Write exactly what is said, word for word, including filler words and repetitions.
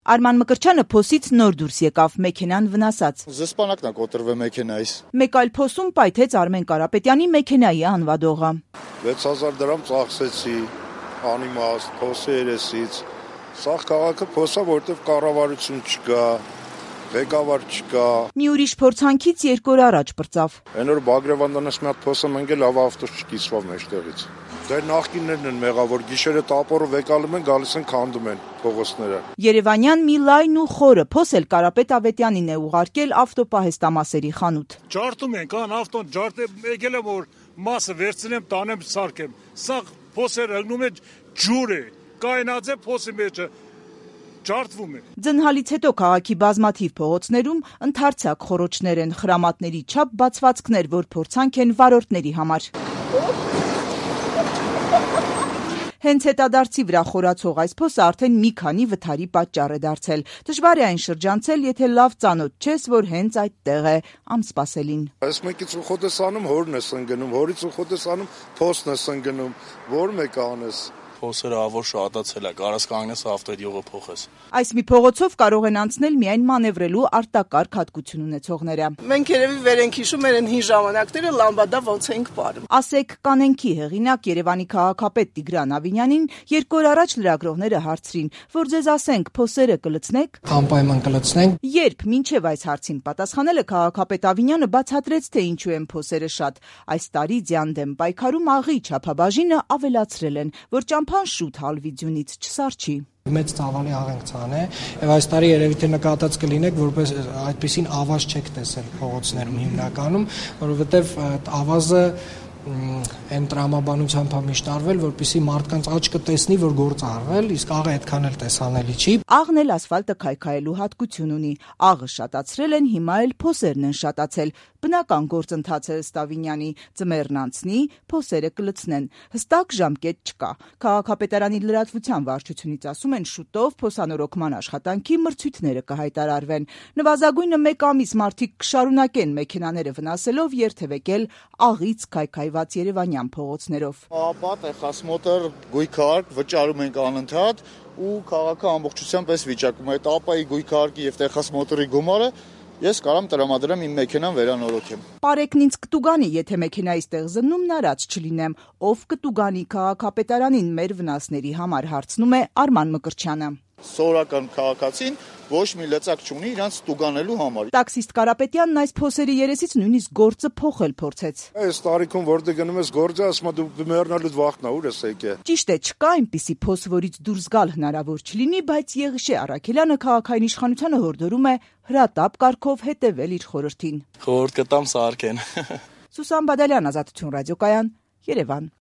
Արման Մկրտչյանը փոսից նոր դուրս եկավ, մեքենան վնասած։ Զսպանակն է կոտրվել մեքենայից։ Մեկ այլ փոսում պայթեց Արմեն Կարապետյանի մեքենայի անվադողը։ վեց հազար դրամ ծախսեցի, անիմաստ, փոսի երեսից։ Սաղ քաղաքը փոսա, որտեղ կառավարություն չկա, ղեկավար չկա։ Մի ուրիշ փորձանքից երկու օր առաջ պրծավ։ Այն օր Բագրևանյանից մի հատ փոսը մնգել, լավ ավտոս չկիսվավ մեջտեղից։ Դեր նախկիններն են մեղավոր, գիշերը տապորը վեկալում են, գալիս են քանդում են փողոցները։ Երևանյան մի լայն ու խորը փոս էլ Կարապետ Ավետյանին է ուղարկել ավտոպահեստամասերի խանութ։ Ջարդում են, կան ավտոն ջարդեմ, եկել եմ որ մասը վերցնեմ, տանեմ, սարքեմ։ Սա փոսերը հղնում է ջուր է, կայնած է փոսի մեջը։ Ջարդվում է։ Ձնհալից հետո քաղաքի բազմաթիվ փողոցներում ընդարձակ խոռոչներ են, խրամատների չափ բացվածքներ, որ փորձանք են վարորդների համար։ Հենց հետադարձի վրա խորացող այս փոսը արդեն մի քանի վթարի պատճառ է դարձել։ Դժվար է այն շրջանցել, եթե լավ ծանոթ չես, որ հենց այդտեղ է, ամսպասելին։ Այս մեկից ուխոտ ես անում, հորն ես ընկնում, հորից ուխոտ ես անում, փոսն ես ընկնում, որ մեկը անես։ Փոսերը ավոր շատացել է, կարաս կանգնես ավտոյդ յուղը փոխես։ Այս մի փողոցով կարող են անցնել միայն մանևրելու արտակարգ հատկություն ունեցողները։ Մենք երևի վեր ենք հիշում մեր հին ժամանակները լամբադա ոնց ենք պարում։ Ասեք կանենքի հեղինակ Երևանի քաղաքապետ Տիգրան Ավինյանին երկու օր առաջ լրագրողները հարցրին, որ ձեզ ասենք փոսերը կլցնեք։ Անպայման կլցնենք։ Երբ մինչև այս հարցին պատասխանել է քաղաքապետ Ավինյանը բացատրեց, թե ինչու են փոսերը շատ։ Այս տարի ձյան դեմ պայքարում աղի չափաբաժինը ավելացրել են, որ ճամփան շուտ հալվի ձյունից չսարչի։ Մեծ ծավալի աղենցան է, եւ այս տարի երևի թե նկատած կլինեք, որպես այդպեսին ավազ չեք տեսել փողոցներում հիմնականում, որովհետեւ ավազը այն տրամաբանությամբ է միշտ արվել, որպեսզի մարդկանց աչքը տեսնի, որ գործ արվել, իսկ աղը այդքան էլ տեսանելի չի։ Աղն էլ ասֆալտը քայքայելու հատկություն ունի։ Աղը շատացրել են, հիմա էլ փոսերն են շատացել։ Բնական գործընթաց է ըստ Ավինյանի, ձմեռն անցնի, փոսերը կլցնեն։ Հստակ ժամկետ չկա։ Քաղաքապետարանի լրատվության վարչությունից ասում են, շուտով փոսանորոգման աշխատանքի մրցույթները կհայտարարվեն։ Նվազագույնը մեկ ամիս մարդիկ կշարունակեն մեքենաները վնասելով երթևեկել աղից քայքայված երևանյան փողոցներով։ Ապա տեխասմոտր, գույքարկ վճարում ենք անընդհատ ու քաղաքը ամբողջությամբ էս վիճակում է։ Այդ ապայի գույքարկի եւ տեխասմոտորի գումարը ես կարամ տրամադրեմ իմ մեքենան վերանորոգեմ։ Պարեկն ինձ կտուգանի, եթե մեքենայից տեղ զննում նարած չլինեմ, ով կտուգանի քաղաքապետարանին մեր վնասների համար, հարցնում է Արման Մկրտչյանը։ Սովորական քաղաքացին ոչ մի լծակ չունի իրանց տուգանելու համար։ Տաքսիստ Կարապետյանն այս փոսերի երեսից նույնիսկ գործը փոխել փորձեց։ Այս տարիքում որտեղ գնում ես գործը, ասում ես դու մեռնալուց վախտնա, ուր ես եկե։ Ճիշտ է, չկա այնպիսի փոս, որից դուրս գալ հնարավոր չլինի, բայց Եղիշե Առաքելյանը քաղաքային իշխանությանը հորդորում է հրատապ կարգով հետևել իր խորհրդին։ Խորհուրդ կտամ սարքեն։ Սուսան Բադալյան, Ազատություն ռադիոկայան, Երևան։